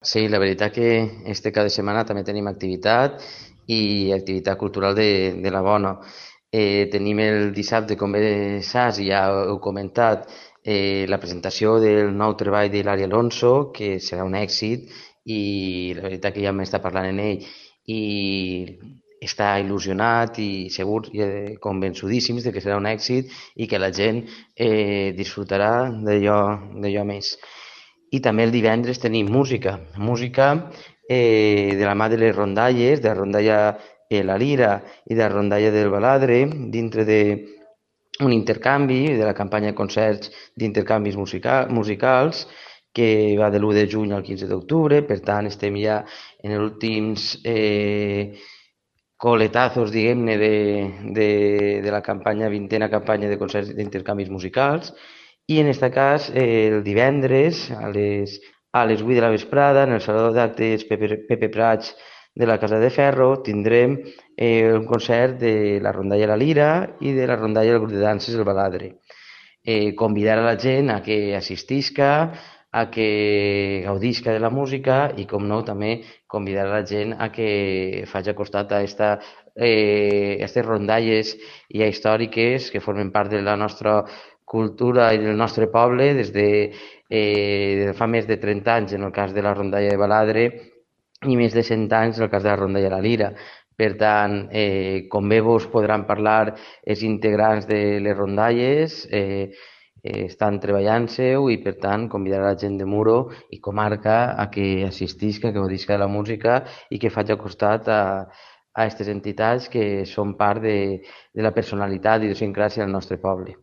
Sí, la veritat que este cada setmana també tenim activitat i activitat cultural de la bona. Tenim el dissabte, com bé saps, i ja heu comentat, la presentació del nou treball de l'Ari Alonso, que serà un èxit i la veritat que ja m'està parlant en ell i està il·lusionat i segur i convençudíssims de que serà un èxit i que la gent disfrutarà d'allò més. I també el divendres tenim música, de la mà de les rondalles, de la rondalla La Lira i de la rondalla del Baladre, dintre d'un intercanvi, de la campanya de concerts d'intercanvis musicals, que va de l'1 de juny al 15 d'octubre, per tant estem ja en els últims coletazos, diguem-ne, de la campanya, vintena campanya de concerts d'intercanvis musicals, i en aquest cas el divendres a les 8 de la vesprada en el Saló d'Actes Pepe Prats de la Casa de Ferro tindrem un concert de la rondalla La Lira i de la rondalla del grup de danses El Baladre. Convidar a la gent a que assistisca, a que gaudisca de la música i, com no, també convidar a la gent a que faci costat a aquestes rondalles ja històriques que formen part de la nostra cultura i del nostre poble des de fa més de 30 anys en el cas de la rondalla de Baladre i més de 100 anys en el cas de la rondalla de la Lira. Per tant, com bé vos podran parlar els integrants de les rondalles, estan treballant-se-ho i, per tant, convidar a la gent de Muro i comarca a que assistisca, que gaudisca de la música i que faci costat a aquestes entitats que són part de la personalitat i idiosincràsia del nostre poble.